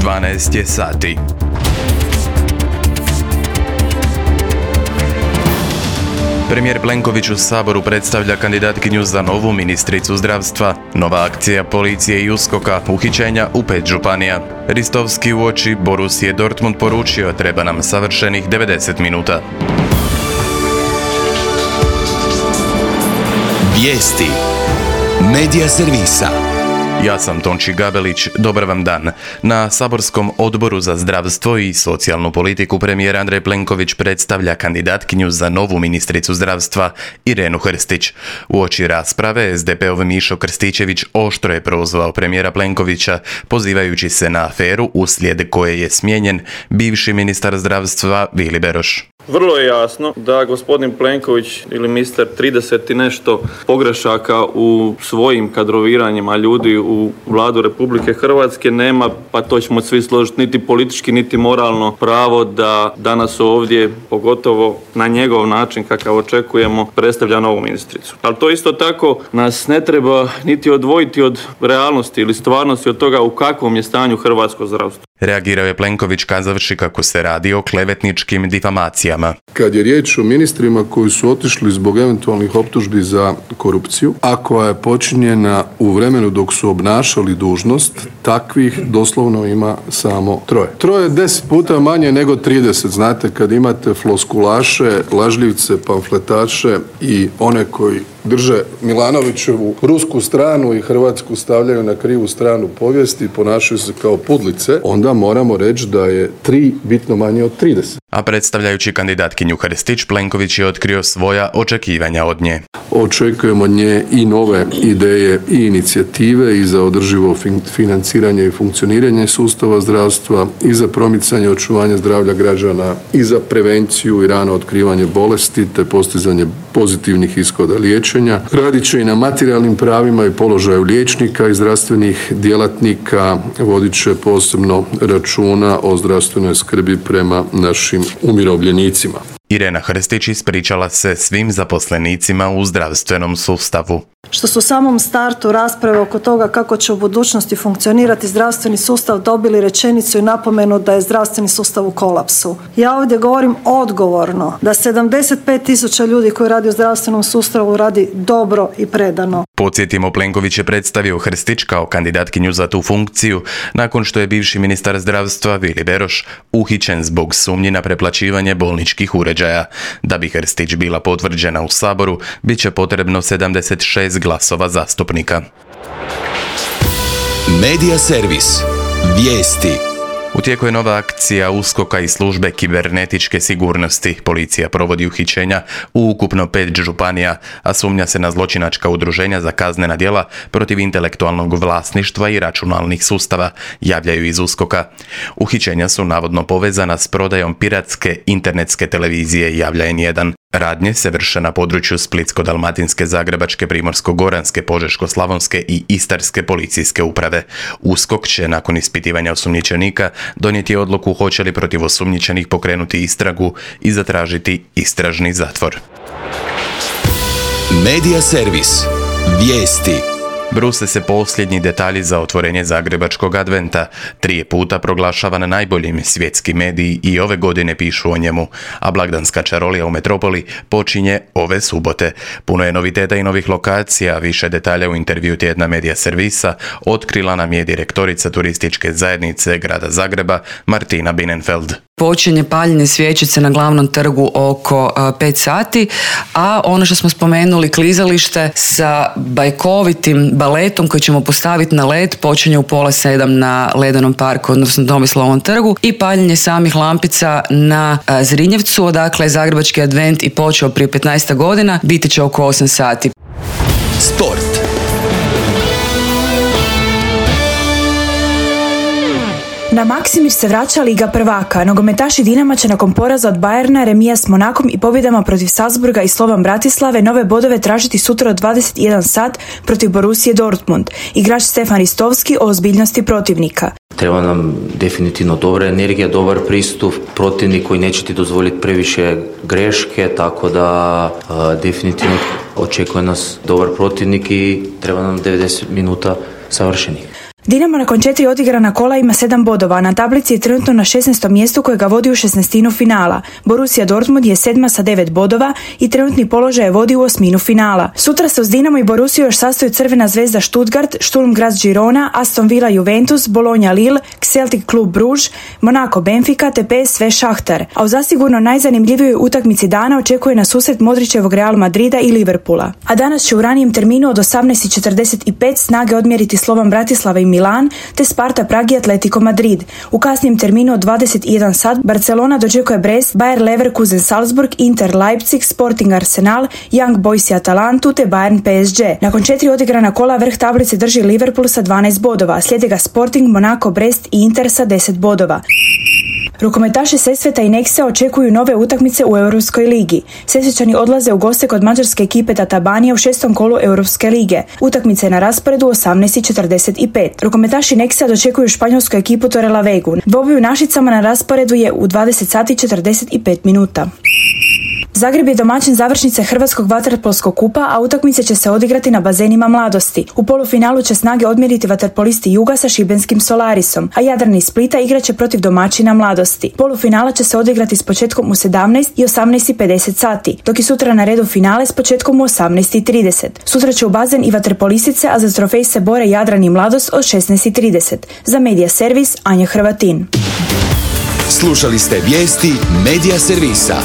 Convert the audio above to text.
12 je sati. Premijer Plenković u Saboru predstavlja kandidatkinju za novu ministricu zdravstva. Nova akcija policije i USKOK-a, uhićenja u 5 županija. Ristovski uoči Borussia Dortmund poručio treba nam savršenih 90 minuta. Vijesti Medija servisa. Ja sam Tonči Gabelić, dobar vam dan. Na saborskom odboru za zdravstvo i socijalnu politiku premijer Andrej Plenković predstavlja kandidatkinju za novu ministricu zdravstva Irenu Hrstić. Uoči rasprave SDP-ov Mišo Krstičević oštro je prozvao premijera Plenkovića, pozivajući se na aferu uslijed koje je smijenjen bivši ministar zdravstva Vili Beroš. Vrlo je jasno da gospodin Plenković ili ministar 30 i nešto pogrešaka u svojim kadroviranjima ljudi u Vladu Republike Hrvatske nema, pa to ćemo svi složiti, niti politički, niti moralno pravo da danas ovdje, pogotovo na njegov način kakav očekujemo, predstavlja novu ministricu. Ali to isto tako nas ne treba niti odvojiti od realnosti ili stvarnosti od toga u kakvom je stanju hrvatsko zdravstvo. Reagirao je Plenković kazavši kako se radi o klevetničkim difamacijama. Kad je riječ o ministrima koji su otišli zbog eventualnih optužbi za korupciju, a koja je počinjena u vremenu dok su obnašali dužnost, takvih doslovno ima samo 3. 3 je 10 puta manje nego 30. Znate, kad imate floskulaše, lažljivce, pamfletaše i one koji drže Milanovićevu rusku stranu i Hrvatsku stavljaju na krivu stranu povijesti i ponašaju se kao pudlice, onda moramo reći da je 3 bitno manje od 30. A predstavljajući kandidatkinju Hrstić, Plenković je otkrio svoja očekivanja od nje. Očekujemo od nje i nove ideje i inicijative i za održivo financiranje i funkcioniranje sustava zdravstva i za promicanje očuvanja zdravlja građana i za prevenciju i rano otkrivanje bolesti te postizanje pozitivnih ishoda liječenja. Radit će i na materijalnim pravima i položaju liječnika i zdravstvenih djelatnika, vodit će posebno računa o zdravstvenoj skrbi prema našim umirovljenicima. Irena Hrstić ispričala se svim zaposlenicima u zdravstvenom sustavu. Što su u samom startu rasprave oko toga kako će u budućnosti funkcionirati zdravstveni sustav dobili rečenicu i napomenu da je zdravstveni sustav u kolapsu. Ja ovdje govorim odgovorno da 75.000 ljudi koji radi u zdravstvenom sustavu radi dobro i predano. Podsjetimo, Plenković je predstavio Hrstić kao kandidatkinju za tu funkciju nakon što je bivši ministar zdravstva Vili Beroš uhićen zbog sumnji na preplaćivanje bolničkih uređaja. Da bi Hrstić bila potvrđena u Saboru, bit će potrebno 76 glasova zastupnika. Medija servis. Vijesti. U tijeku je nova akcija USKOK-a i službe kibernetičke sigurnosti. Policija provodi uhićenja u ukupno 5 županija, a sumnja se na zločinačka udruženja za kaznena djela protiv intelektualnog vlasništva i računalnih sustava, javljaju iz USKOK-a. Uhićenja su navodno povezana s prodajom piratske internetske televizije, javlja N1. Radnje se vrše na području Splitsko-dalmatinske, Zagrebačke, Primorsko-goranske, Požeško-slavonske i Istarske policijske uprave. USKOK će nakon ispitivanja osumnjičenika donijeti odluku hoće li protiv osumnjičenih pokrenuti istragu i zatražiti istražni zatvor. Medija servis. Vijesti. Bruse se posljednji detalji za otvorenje Zagrebačkog adventa. 3 puta proglašavan najboljim, svjetski mediji i ove godine pišu o njemu, a blagdanska čarolija u metropoli počinje ove subote. Puno je noviteta i novih lokacija, više detalja u intervju tjedna Medija servisa otkrila nam je direktorica turističke zajednice grada Zagreba Martina Binenfeld. Počinje paljenje svjećice na glavnom trgu oko 5 sati, a ono što smo spomenuli, klizalište sa bajkovitim baletom koji ćemo postaviti na led počinje u 6:30 na Ledenom parku, odnosno Tomislavom trgu, i paljenje samih lampica na Zrinjevcu, odakle je Zagrebački advent i počeo prije 15 godina, biti će oko 8 sati. Sport. Na Maksimir se vraća Liga prvaka. Nogometaši Dinama će nakon poraza od Bayerna, remija s Monakom i pobjedama protiv Salzburga i Slovan Bratislave nove bodove tražiti sutra od 21 sat protiv Borussie Dortmund. Igrač Stefan Ristovski o ozbiljnosti protivnika. Treba nam definitivno dobra energija, dobar pristup, protivnik koji neće ti dozvoliti previše greške, tako da definitivno očekuje nas dobar protivnik i treba nam 90 minuta savršenih. Dinamo nakon 4 odigrana kola ima 7 bodova, na tablici je trenutno na 16. mjestu kojega vodi u 16. finala. Borussia Dortmund je 7. sa 9 bodova i trenutni položaj je vodi u 8. finala. Sutra se uz Dinamo i Borussiju još sastaju Crvena zvezda Stuttgart, Sturm Graz Girona, Aston Villa Juventus, Bologna Lille, Celtic Klub Bruges, Monaco Benfica te PSV Šahtar. A u zasigurno najzanimljivijoj utakmici dana očekuje na susret Modrićevog Real Madrida i Liverpoola. A danas će u ranijem terminu od 18:45 snage odmjeriti Slovan Bratislava i Milan, te Sparta Prag i Atletico Madrid. U kasnijem terminu od 21 sat Barcelona dočekuje Brest, Bayer Leverkusen Salzburg, Inter Leipzig, Sporting Arsenal, Young Boys i Atalantu te Bayern PSG. Nakon 4 odigrana kola vrh tablice drži Liverpool sa 12 bodova, slijede ga Sporting, Monaco, Brest i Inter sa 10 bodova. Rukometaši Sesveta i Nexe očekuju nove utakmice u Europskoj ligi. Sesvečani odlaze u goste kod mađarske ekipe Tatabania u 6. kolu Europske lige. Utakmica je na rasporedu 18:45. Rukometaši Nexe dočekuju španjolsku ekipu Torrelavegu. Dvoboj u Našicama na rasporedu je u 20:45. Zagreb je domaćin završnice Hrvatskog vaterpolskog kupa, a utakmice će se odigrati na bazenima Mladosti. U polufinalu će snage odmjeriti vaterpolisti Juga sa šibenskim Solarisom, a Jadran iz Splita igraće protiv domaćina Mladosti. Polufinala će se odigrati s početkom u 17 i 18:50 sati, dok je sutra na redu finale s početkom u 18:30. Sutra će u bazen i vaterpolistice, a za trofej se bore Jadran i Mladost od 16:30. Za Medija Servis, Anja Hrvatin. Slušali ste vijesti Medija Servisa.